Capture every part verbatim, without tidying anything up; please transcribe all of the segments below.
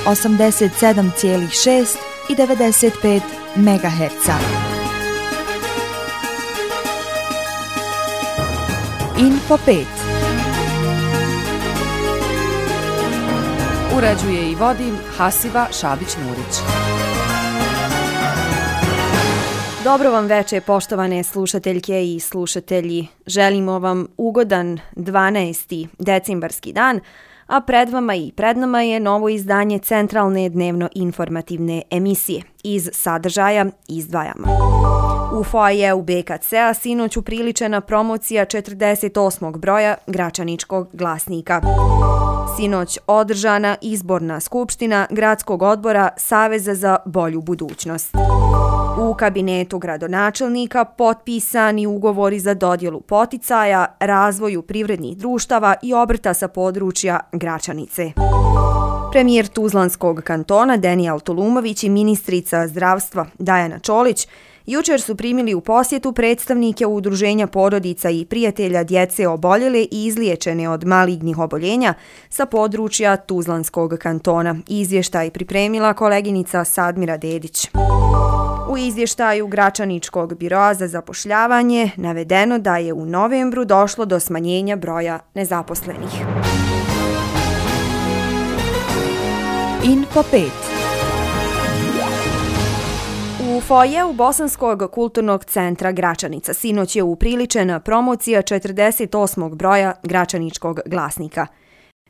osamdeset sedam zarez šest i devedeset pet megaherca. Info pet. Uređuje i vodi Hasiba Šabić-Murić. Dobro vam veče, poštovane slušateljke i slušatelji. Želimo vam ugodan dvanaesti decembarski dan, a pred vama i pred nama je novo izdanje centralne dnevno-informativne emisije. Iz sadržaja izdvajamo. U foajeu be ka ce-a sinoć upriličena promocija četrdeset osmog broja Gračaničkog glasnika. Sinoć održana izborna skupština Gradskog odbora Saveza za bolju budućnost. U kabinetu gradonačelnika potpisani ugovori za dodjelu poticaja, razvoju privrednih društava i obrta sa područja Gračanice. Premijer Tuzlanskog kantona Denijel Tulumović i ministrica zdravstva Dajana Čolić jučer su primili u posjetu predstavnike Udruženja porodica i prijatelja djece oboljele i izliječene od malignih oboljenja sa područja Tuzlanskog kantona. Izvještaj pripremila koleginica Sadmira Dedić. U izvještaju Gračaničkog biroa za zapošljavanje navedeno da je u novembru došlo do smanjenja broja nezaposlenih. Info pet. U foajeu Bosanskog kulturnog centra Gračanica sinoć je upriličena promocija četrdeset osmog broja Gračaničkog glasnika.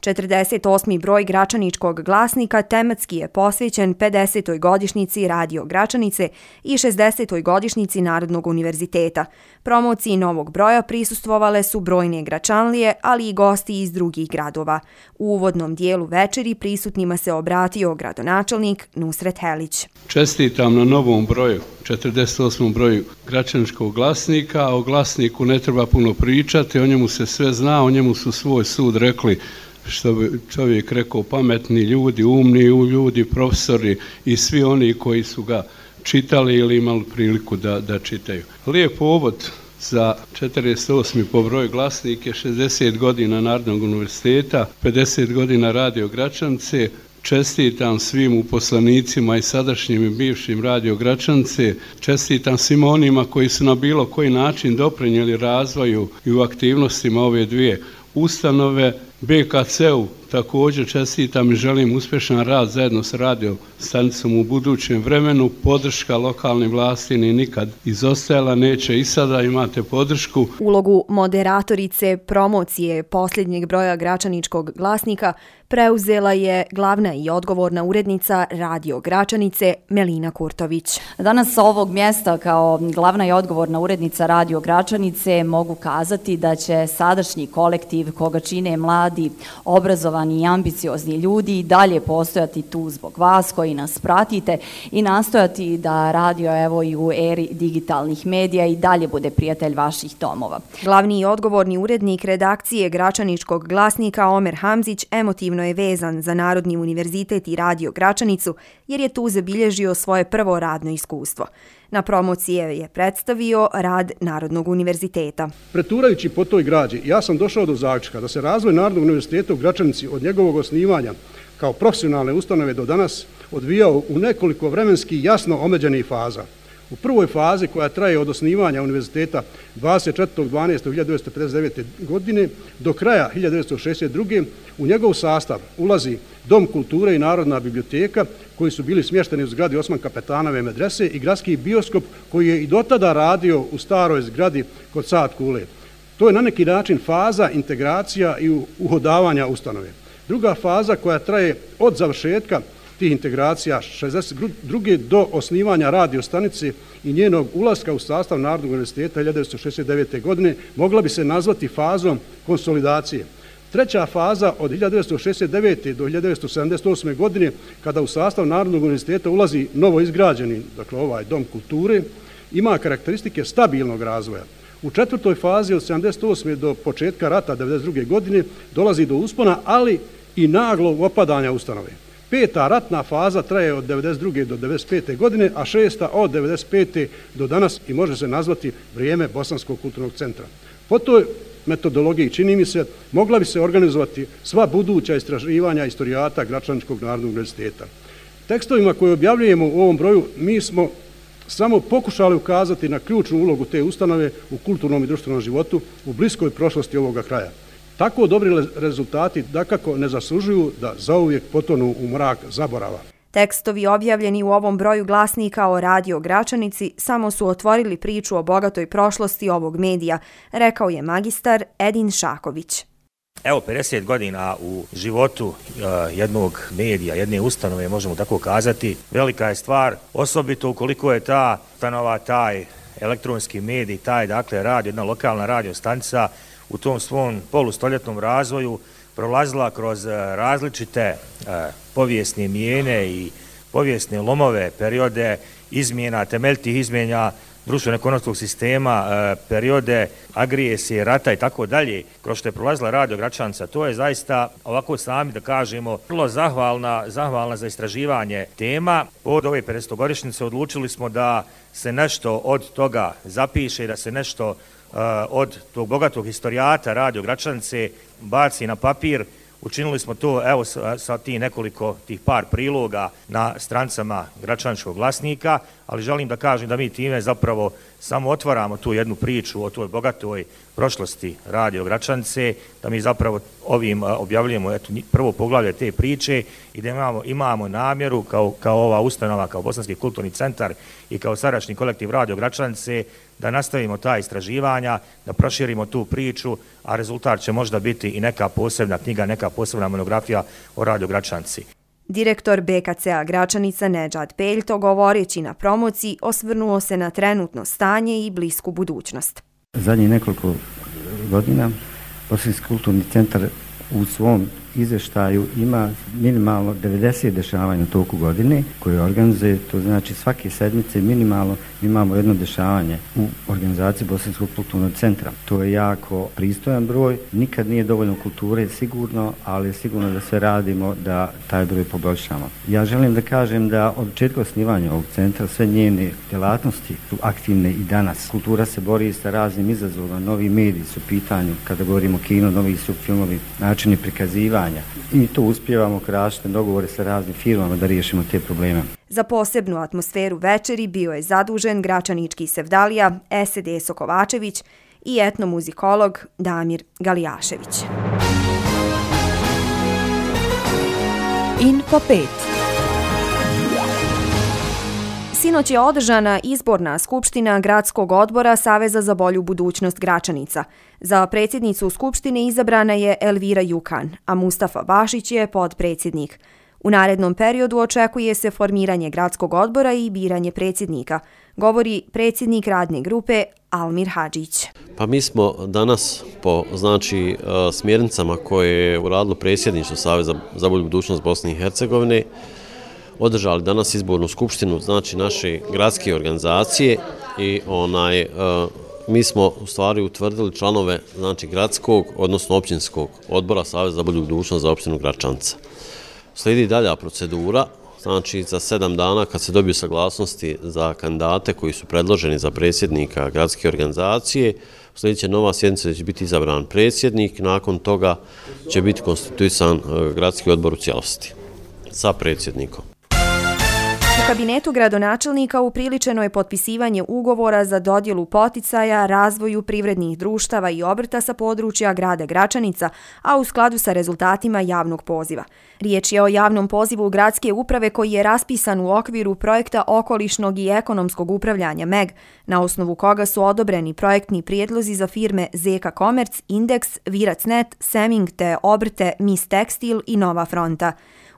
četrdeset osmi broj Gračaničkog glasnika tematski je posvećen pedesetoj godišnjici Radio Gračanice i šezdesetoj godišnjici Narodnog univerziteta. Promociji novog broja prisustvovale su brojne Gračanlije, ali i gosti iz drugih gradova. U uvodnom dijelu večeri prisutnima se obratio gradonačelnik Nusret Helić. Čestitam na novom broju, četrdeset osmom broju Gračaničkog glasnika, a o glasniku ne treba puno pričati, o njemu se sve zna, o njemu su svoj sud rekli, što bi čovjek rekao, pametni ljudi, umni ljudi, profesori i svi oni koji su ga čitali ili imali priliku da, da čitaju. Lijep povod za četrdeset osmi po broju glasnik je šezdeset godina Narodnog univerziteta, pedeset godina Radio Gračanice. Čestitam svim uposlenicima i sadašnjim i bivšim Radio Gračanice, čestitam svima onima koji su na bilo koji način doprinijeli razvoju i u aktivnostima ove dvije ustanove. be ka ce-u također čestitam i želim uspješan rad zajedno s radio stanicom u budućem vremenu. Podrška lokalnim vlasti ni nikad izostajala, neće i sada, imate podršku. Ulogu moderatorice promocije posljednjeg broja Gračaničkog glasnika preuzela je glavna i odgovorna urednica Radio Gračanice Melina Kurtović. Danas sa ovog mjesta kao glavna i odgovorna urednica Radio Gračanice mogu kazati da će sadašnji kolektiv koga čine mladi, obrazovani i ambiciozni ljudi i dalje postojati tu zbog vas koji nas pratite i nastojati da radio evo i u eri digitalnih medija i dalje bude prijatelj vaših domova. Glavni i odgovorni urednik redakcije Gračaničkog glasnika Omer Hamzić emotivno je vezan za Narodni univerzitet i Radio Gračanicu jer je tu zabilježio svoje prvo radno iskustvo. Na promocije je predstavio rad Narodnog univerziteta. Preturajući po toj građi, ja sam došao do zaključka da se razvoj Narodnog univerziteta u Gračanici od njegovog osnivanja kao profesionalne ustanove do danas odvijao u nekoliko vremenski jasno omeđenih faza. U prvoj fazi, koja traje od osnivanja univerziteta dvadeset četvrtog dvanaestog hiljadu devetsto pedeset devete. godine do kraja hiljadu devetsto šezdeset druge. u njegov sastav ulazi Dom kulture i Narodna biblioteka, koji su bili smješteni u zgradi Osman Kapetanove medrese, i gradski bioskop koji je i dotada radio u staroj zgradi kod Saad Kule. To je na neki način faza integracija i uhodavanja ustanove. Druga faza, koja traje od završetka tih integracija šezdeset druge. do osnivanja radio stanice i njenog ulaska u sastav Narodnog univerziteta hiljadu devetsto šezdeset devete. godine, mogla bi se nazvati fazom konsolidacije. Treća faza od hiljadu devetsto šezdeset devete. do hiljadu devetsto sedamdeset osme. godine, kada u sastav Narodnog univerziteta ulazi novo izgrađeni, dakle ovaj Dom kulture, ima karakteristike stabilnog razvoja. U četvrtoj fazi od sedamdeset osme. do početka rata devedeset druge. godine dolazi do uspona, ali i naglog opadanja ustanove. Peta ratna faza traje od devedeset druge. do devedeset pete. godine, a šesta od devedeset pete. do danas i može se nazvati vrijeme Bosanskog kulturnog centra. Po toj metodologiji, čini mi se, mogla bi se organizovati sva buduća istraživanja istorijata Gračaničkog narodnog univerziteta. Tekstovima koje objavljujemo u ovom broju mi smo samo pokušali ukazati na ključnu ulogu te ustanove u kulturnom i društvenom životu u bliskoj prošlosti ovoga kraja. Tako dobri rezultati dakako ne zaslužuju da zauvijek potonu u mrak zaborava. Tekstovi objavljeni u ovom broju glasnika o Radio Gračanici samo su otvorili priču o bogatoj prošlosti ovog medija, rekao je magistar Edin Šaković. Evo, pedeset godina u životu uh, jednog medija, jedne ustanove, možemo tako kazati, velika je stvar, osobito ukoliko je ta ustanova, taj elektronski medij, taj, dakle, radio, jedna lokalna radio stanica u tom svom polustoljetnom razvoju prolazila kroz uh, različite uh, povijesne mijene i povijesne lomove, periode izmjena, temeljitih izmjena društveno-ekonomskog sistema, periode agresije, rata i tako dalje, kroz što je prolazila Radio Gračanica. To je zaista, ovako sami da kažemo, vrlo zahvalna, zahvalna za istraživanje tema. Od ove pedesetogodišnjice odlučili smo da se nešto od toga zapiše, da se nešto uh, od tog bogatog historijata Radio Gračanice baci na papir. Učinili smo to, evo, sa, sa ti nekoliko, tih par priloga na strancama Gračaničkog glasnika, ali želim da kažem da mi time zapravo samo otvaramo tu jednu priču o toj bogatoj prošlosti Radio Gračanice, da mi zapravo ovim objavljujemo eto, prvo poglavlje te priče i da imamo, imamo namjeru kao, kao ova ustanova, kao Bosanski kulturni centar i kao sadašnji kolektiv Radio Gračanice da nastavimo ta istraživanja, da proširimo tu priču, a rezultat će možda biti i neka posebna knjiga, neka posebna monografija o Radio Gračanici. Direktor B K C-a Gračanica Nedžad Peljto, govoreći na promociji, osvrnuo se na trenutno stanje i blisku budućnost. Zadnjih nekoliko godina Bosanski kulturni centar u svom izveštaju ima minimalno devedeset dešavanja u toku godine koje organizuje, to znači svake sedmice minimalno imamo jedno dešavanje u organizaciji Bosanskog kulturnog centra. To je jako pristojan broj, nikad nije dovoljno kulture sigurno, ali sigurno da sve radimo da taj broj poboljšamo. Ja želim da kažem da od početka osnivanja ovog centra sve njene djelatnosti su aktivne i danas. Kultura se bori sa raznim izazovima, novi mediji su u pitanju, kada govorimo o kino, novi su filmovi, načini prikazivanja. I to uspijevamo kroz dogovore sa raznim firmama da riješimo te probleme. Za posebnu atmosferu večeri bio je zadužen gračanički sevdalija Esedeso Kovačević i etnomuzikolog Damir Galijašević. Info pet. Sinoć je održana izborna skupština Gradskog odbora Saveza za bolju budućnost Gračanica. Za predsjednicu skupštine izabrana je Elvira Jukan, a Mustafa Bašić je podpredsjednik. U narednom periodu očekuje se formiranje Gradskog odbora i biranje predsjednika, govori predsjednik radne grupe Almir Hadžić. Pa mi smo danas po znači smjernicama koje je uradilo predsjedništvo Saveza za bolju budućnost Bosne i Hercegovine održali danas izbornu skupštinu, znači naše gradske organizacije i onaj, e, mi smo u stvari utvrdili članove znači gradskog, odnosno općinskog odbora Saveza za bolju budućnost za opštinu Gračanica. Slijedi dalja procedura, znači za sedam dana kad se dobiju saglasnosti za kandidate koji su predloženi za predsjednika gradske organizacije, slijedit će nova sjednica, će biti izabran predsjednik, nakon toga će biti konstituisan gradski odbor u cijelosti sa predsjednikom. U kabinetu gradonačelnika upriličeno je potpisivanje ugovora za dodjelu poticaja razvoju privrednih društava i obrta sa područja grada Gračanica, a u skladu sa rezultatima javnog poziva. Riječ je o javnom pozivu gradske uprave koji je raspisan u okviru projekta okolišnog i ekonomskog upravljanja M E G, na osnovu koga su odobreni projektni prijedlozi za firme Zeka Komerc, Indeks, Virac.net, Seming te obrte Mis Tekstil i Nova Fronta.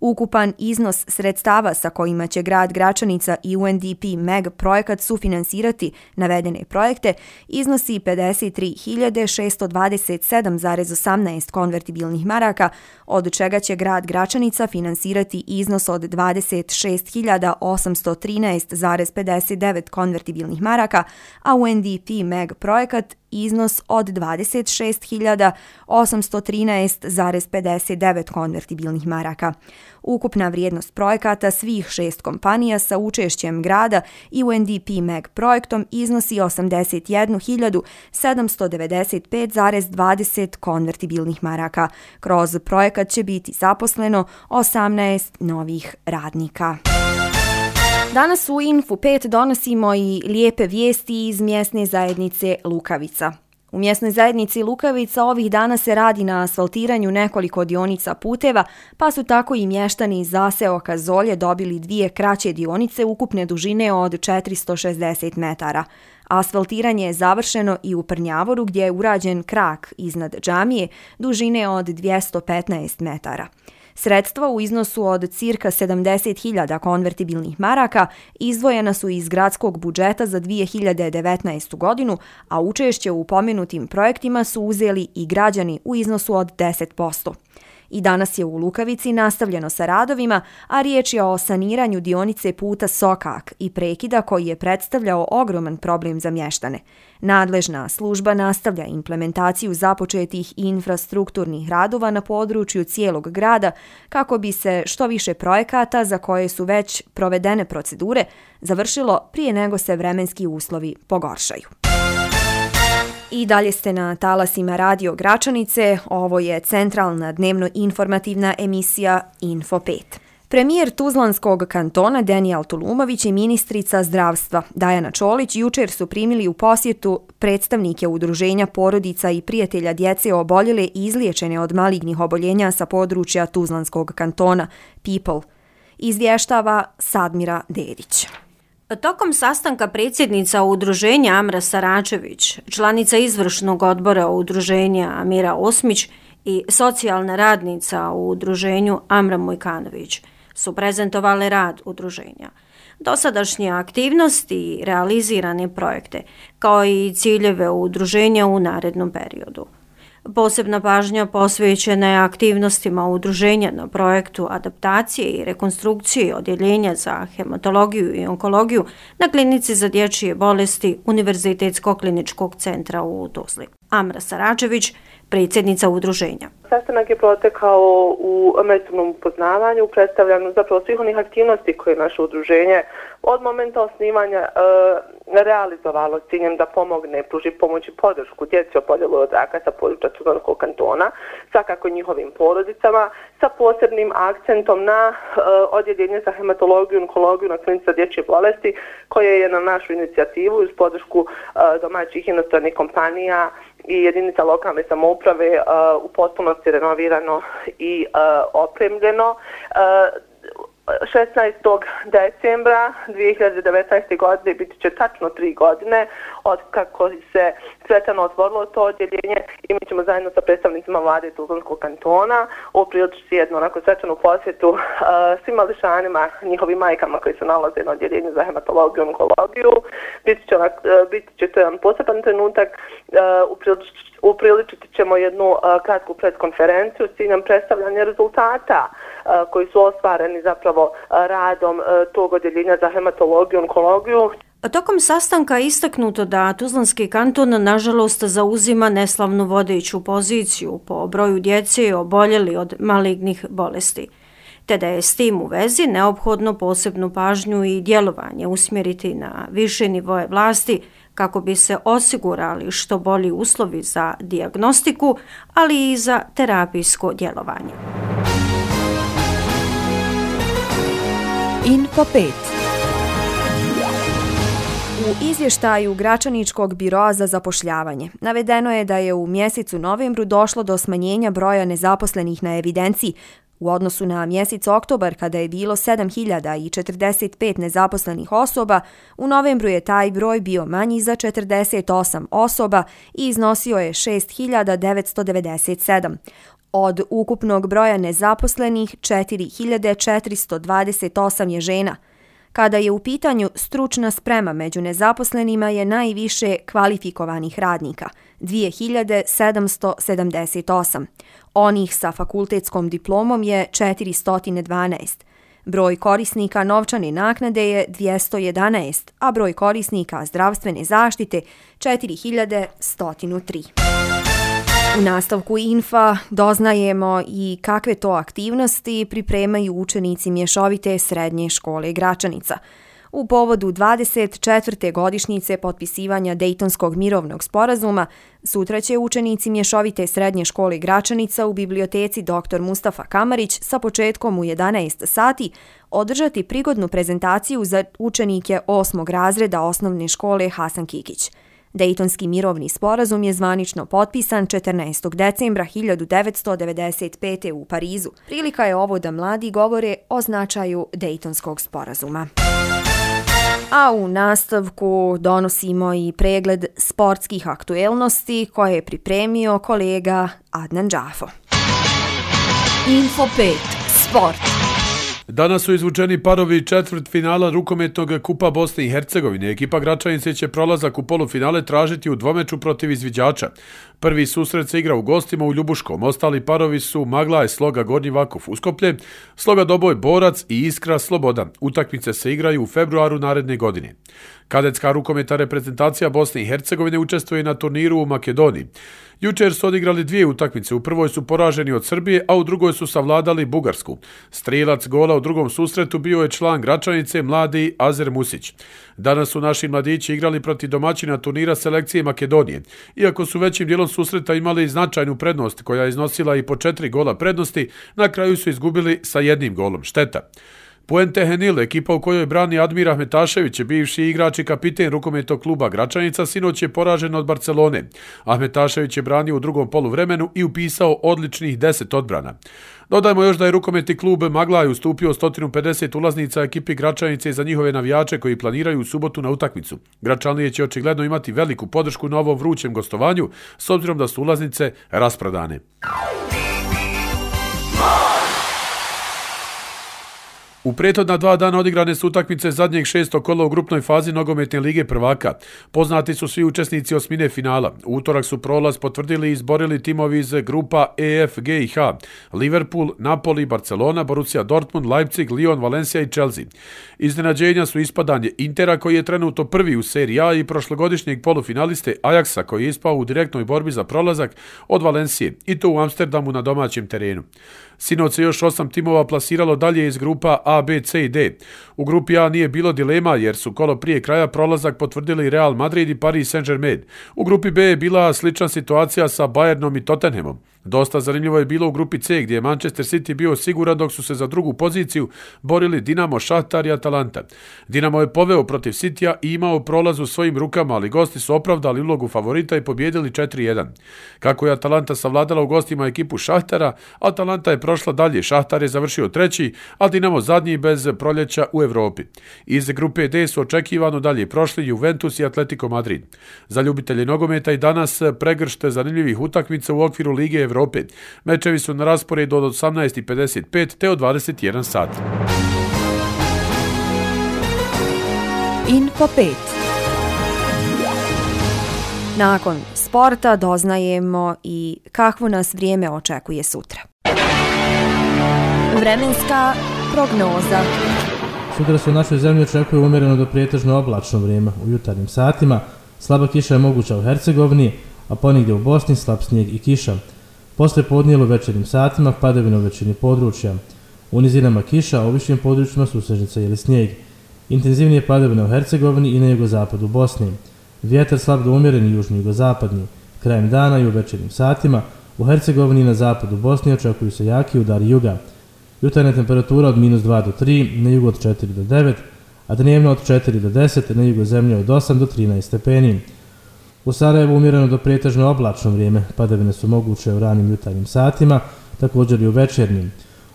Ukupan iznos sredstava sa kojima će grad Gračanica i U N D P M E G projekat sufinansirati navedene projekte iznosi pedeset tri hiljade šesto dvadeset sedam zarez osamnaest konvertibilnih maraka, od čega će grad Gračanica finansirati iznos od dvadeset šest hiljada osamsto trinaest zarez pedeset devet konvertibilnih maraka, a U N D P M E G projekat iznos od dvadeset šest hiljada osamsto trinaest zarez pedeset devet konvertibilnih maraka. Ukupna vrijednost projekata svih šest kompanija sa učešćem grada i U N D P Mag projektom iznosi osamdeset jednu hiljadu sedamsto devedeset pet zarez dvadeset konvertibilnih maraka. Kroz projekat će biti zaposleno osamnaest novih radnika. Danas u Info pet donosimo i lijepe vijesti iz mjesne zajednice Lukavica. U mjesnoj zajednici Lukavica ovih dana se radi na asfaltiranju nekoliko dionica puteva, pa su tako i mještani iz zaseoka Zolje dobili dvije kraće dionice ukupne dužine od četiristo šezdeset metara. Asfaltiranje je završeno i u Prnjavoru gdje je urađen krak iznad džamije dužine od dvjesto petnaest metara. Sredstva u iznosu od cirka sedamdeset hiljada konvertibilnih maraka izdvojena su iz gradskog budžeta za dvije hiljade devetnaestu godinu, a učešće u pomenutim projektima su uzeli i građani u iznosu od deset posto. I danas je u Lukavici nastavljeno sa radovima, a riječ je o saniranju dionice puta Sokak i prekida koji je predstavljao ogroman problem za mještane. Nadležna služba nastavlja implementaciju započetih infrastrukturnih radova na području cijelog grada kako bi se što više projekata za koje su već provedene procedure završilo prije nego se vremenski uslovi pogoršaju. I dalje ste na talasima Radio Gračanice, ovo je centralna dnevno-informativna emisija Info pet. Premijer Tuzlanskog kantona Denijel Tulumović i ministrica zdravstva Dajana Čolić jučer su primili u posjetu predstavnike udruženja porodica i prijatelja djece oboljele i izliječene od malignih oboljenja sa područja Tuzlanskog kantona People. Izvještava Sadmira Dedić. Tokom sastanka predsjednica udruženja Amra Saračević, članica izvršnog odbora udruženja Amira Osmić i socijalna radnica u udruženju Amra Mojkanović su prezentovale rad udruženja, dosadašnje aktivnosti i realizirane projekte, kao i ciljeve udruženja u narednom periodu. Posebna pažnja posvećena je aktivnostima udruženja na projektu adaptacije i rekonstrukcije odjeljenja za hematologiju i onkologiju na klinici za dječje bolesti Univerzitetskog kliničkog centra u Tuzli. Amra Saračević, predsjednica udruženja. Sastanak je protekao u međusobnom upoznavanju, predstavljanju zapravo svih onih aktivnosti koje naše udruženje od momenta osnivanja e, realizovalo s ciljem da pomogne, pruži pomoć i podršku djeci oboljele od raka sa područja Tuzlanskog kantona, svakako njihovim porodicama, sa posebnim akcentom na e, odjeljenje za hematologiju i onkologiju na klinici za dječje bolesti, koje je na našu inicijativu uz podršku e, domaćih inostranih kompanija i jedinica lokalne samouprave uh, u potpunosti renovirano i uh, opremljeno. Uh, šesnaestog decembra dvije hiljade devetnaeste. godine biti će tačno tri godine od kako se svečano otvorilo to odjeljenje i mi ćemo zajedno sa predstavnicima vlade Tuzlanskog kantona upriličiti jednu onako svečanu posjetu uh, svim mališanima, njihovim majkama koji se nalaze na odjeljenju za hematologiju i onkologiju. Biti će, uh, biti će to jedan poseban trenutak, uh, upriličiti Upriličiti ćemo jednu uh, kratku preskonferenciju s ciljem predstavljanja rezultata uh, koji su ostvareni zapravo uh, radom uh, tog odjeljenja za hematologiju i onkologiju. Tokom sastanka je istaknuto da Tuzlanski kanton nažalost zauzima neslavnu vodeću poziciju po broju djece oboljeli od malignih bolesti, te da je s tim u vezi neophodno posebnu pažnju i djelovanje usmjeriti na više nivoje vlasti kako bi se osigurali što bolji uslovi za dijagnostiku, ali i za terapijsko djelovanje. Info pet. U izvještaju Gračaničkog biroa za zapošljavanje navedeno je da je u mjesecu novembru došlo do smanjenja broja nezaposlenih na evidenciji. U odnosu na mjesec oktobar, kada je bilo sedam hiljada četrdeset pet nezaposlenih osoba, u novembru je taj broj bio manji za četrdeset osam osoba i iznosio je šest hiljada devetsto devedeset sedam. Od ukupnog broja nezaposlenih, četiri hiljade četiristo dvadeset osam je žena. Kada je u pitanju stručna sprema među nezaposlenima je najviše kvalifikovanih radnika, dvije hiljade sedamsto sedamdeset osam. Onih sa fakultetskom diplomom je četiristo dvanaest. Broj korisnika novčane naknade je dvjesto jedanaest, a broj korisnika zdravstvene zaštite četiri hiljade sto tri. U nastavku Infa doznajemo i kakve to aktivnosti pripremaju učenici mješovite srednje škole Gračanica. U povodu dvadeset četvrte godišnjice potpisivanja Dejtonskog mirovnog sporazuma, sutra će učenici mješovite srednje škole Gračanica u biblioteci doktor Mustafa Kamarić sa početkom u jedanaest sati održati prigodnu prezentaciju za učenike osmog razreda osnovne škole Hasan Kikić. Dejtonski mirovni sporazum je zvanično potpisan četrnaestog decembra hiljadu devetsto devedeset pete. u Parizu. Prilika je ovo da mladi govore o značaju Dejtonskog sporazuma. A u nastavku donosimo i pregled sportskih aktuelnosti koje je pripremio kolega Adnan Džafo. Info pet. Sport. Danas su izvučeni parovi četvrt finala rukometnog kupa Bosne i Hercegovine. Ekipa Gračanice će prolazak u polufinale tražiti u dvomeču protiv izviđača. Prvi susret se igra u gostima u Ljubuškom. Ostali parovi su Maglaj, Sloga, Gornji Vakuf, Uskoplje, Sloga Doboj, Borac i Iskra, Sloboda. Utakmice se igraju u februaru naredne godine. Kadetska rukometa reprezentacija Bosne i Hercegovine učestvuje na turniru u Makedoniji. Jučer su odigrali dvije utakmice, u prvoj su poraženi od Srbije, a u drugoj su savladali Bugarsku. Strijelac gola u drugom susretu bio je član Gračanice, mladi Azer Musić. Danas su naši mladići igrali protiv domaćina turnira selekcije Makedonije. Iako su većim dijelom susreta imali značajnu prednost koja je iznosila i po četiri gola prednosti, na kraju su izgubili sa jednim golom. Šteta. Puente Henil, ekipa u kojoj brani Admir Ahmetašević, bivši igrač i kapiten rukometnog kluba Gračanica, sinoć je poražen od Barcelone. Ahmetašević je branio u drugom poluvremenu i upisao odličnih deset odbrana. Dodajmo još da je rukometni klub Maglaj ustupio sto pedeset ulaznica ekipi Gračanice za njihove navijače koji planiraju u subotu na utakmicu. Gračanije će očigledno imati veliku podršku na ovom vrućem gostovanju, s obzirom da su ulaznice rasprodane. U prethodna dva dana odigrane su utakmice zadnjeg šestog kola u grupnoj fazi nogometne lige prvaka. Poznati su svi učesnici osmine finala. U utorak su prolaz potvrdili i izborili timovi iz grupa E, F, G i H. Liverpool, Napoli, Barcelona, Borussia Dortmund, Leipzig, Lyon, Valencia i Chelsea. Iznenađenja su ispadanje Intera koji je trenutno prvi u seriji A i prošlogodišnjeg polufinaliste Ajaxa koji je ispao u direktnoj borbi za prolazak od Valencije i to u Amsterdamu na domaćem terenu. Sinoć se još osam timova plasiralo dalje iz grupa A, B, C i D. U grupi A nije bilo dilema jer su kolo prije kraja prolazak potvrdili Real Madrid i Paris Saint-Germain. U grupi B je bila slična situacija sa Bayernom i Tottenhamom. Dosta zanimljivo je bilo u grupi C gdje je Manchester City bio siguran dok su se za drugu poziciju borili Dinamo, Šahtar i Atalanta. Dinamo je poveo protiv Citya i imao prolaz u svojim rukama, ali gosti su opravdali ulogu favorita i pobjedili četiri jedan. Kako je Atalanta savladala u gostima ekipu Šahtara, Atalanta je prošla dalje, Šahtar je završio treći, a Dinamo zadnji bez proljeća u Evropi. Iz grupe D su očekivano dalje prošli Juventus i Atletico Madrid. Za ljubitelje nogometa i danas pregršte zanimljivih utakmica u okviru Lige Evrope. Mečevi su na rasporedu od osamnaest i pedeset pet te od dvadeset jedan sat. Info pet. Nakon sporta doznajemo i kakvo nas vrijeme očekuje sutra. Vremenska prognoza. Sutra se u našoj zemlji očekuje umjereno do prijetežno oblačno vrijeme u jutarnjim satima. Slaba kiša je moguća u Hercegovini, a ponigdje u Bosni slab snijeg i kiša. Posle podnijelo večernjim satima padavina u većini područja. U nizinama kiša, a u višim područjima susežnica ili snijeg. Intenzivnije padavina u Hercegovini i na jugozapadu Bosni. Vjetar slab do umjeren i južni jugozapadni. Krajem dana i u večernjim satima u Hercegovini i na zapadu Bosni očekuju se jaki udari juga. Jutarnja temperatura od minus dva do tri, na jugu od četiri do devet, a dnevno od četiri do deset, na jugu zemlje od osam do trinaest stepeni. U Sarajevu umjereno do prijetežno oblačno vrijeme, padavine su moguće u ranim jutarnjim satima, također i u večernjim.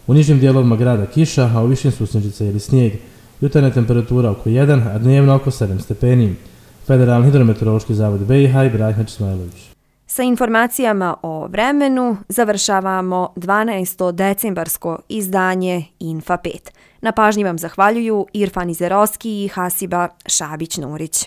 U nižim dijelovima grada kiša, a u višim susnježica ili snijeg. Jutarnja temperatura oko jedan, a dnevno oko sedam stepeni. Federalni hidrometeorološki zavod B i H i Brajhać Ismailović. Sa informacijama o vremenu završavamo dvanaesto decembarsko izdanje Infa pet. Na pažnji vam zahvaljuju Irfan Izerovski i Hasiba Šabić-Nurić.